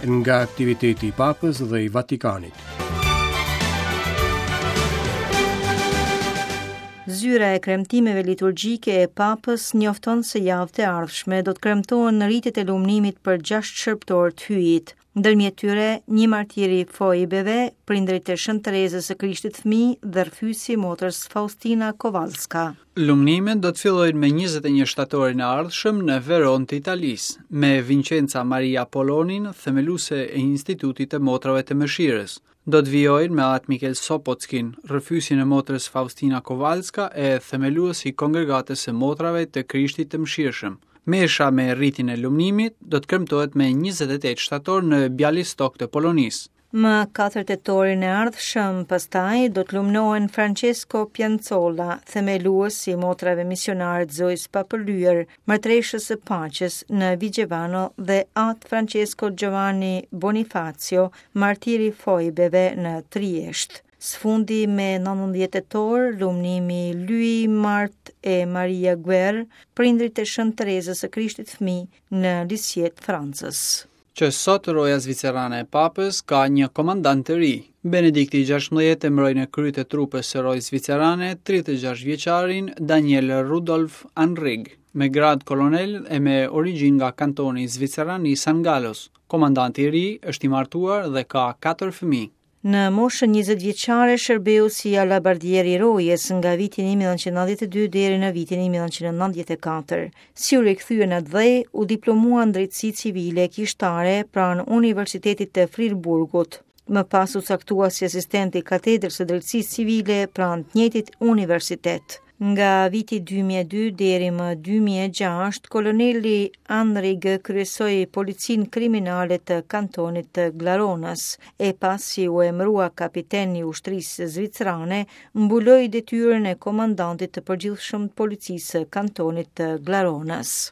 Nga aktiviteti i Papës dhe i Vatikanit. Zyra e kremtimeve liturgjike e Papës njofton se javët e ardhshme do të kremtohen ritet e lumnimit për 6 shërbëtorë të Hyjit. Ndërmjet tyre, një martir i Foibeve, prindërit e Shën Terezës së Krishtit Fëmijë dhe rrëfyesi i motrës Faustina Kowalska. Lumnimet do të fillojnë me 21 shtatorin e ardhshëm në Veronë të Italisë, me Vincenza Maria Polonin, themeluese e Institutit të Motrave të Mëshirës. Do të vijojnë me Atë Mikel Sopockin, rrëfyesin e motrës Faustina Kowalska e themelues i Kongregatës së Motrave të Krishtit të Mëshirshëm. Mesha me ritin e lumnimit do të kremtohet me 28 shtator në Bialystok të Polonisë. Më 4 tetorin e ardhshëm, pastaj do të lumnohen Francesco Pianzola, themelues i motrave misionare të Zojës Papërlyer, mbretëreshës së paqes në Vigevano dhe Atë Francesco Giovanni Bonifacio, martir i Foibeve në Triesht. Së fundi me 19 tetor, lumnimi Louis Marthe e Maria Guerre, prindërit e Shën Terezës së Krishtit Fëmijë në Lisieux të Francës. Që sot roja zvicerane e Papës ka një komandant të ri. Benedikti i 16 emëroi në krye të trupës së rojës zvicerane 36 vjeçarin Daniel Rudolf Anrig, me gradë kolonel e me origjinë nga kantoni zviceran i San Gallos. Komandanti i ri është i martuar dhe ka 4 fëmijë. Në moshën 20 vjeçare shërbeu si alabardier i rojes nga viti 1992 deri në vitin 1994. Si u rikthye në atdhe, u diplomua në drejtësi civile kishtare pranë Universitetit të Freiburgut. Më pas u caktua si asistent i katedrës së drejtësisë civile pranë të njëjtit universitet. Nga viti 2002 deri më 2006, koloneli Anrig kryesoi policinë kriminale të kantonit të Glaronës, e pasi u emërua kapiten i ushtrisë zvicerane, mbuloi detyrën e komandantit të përgjithshëm të policisë së kantonit të Glaronës.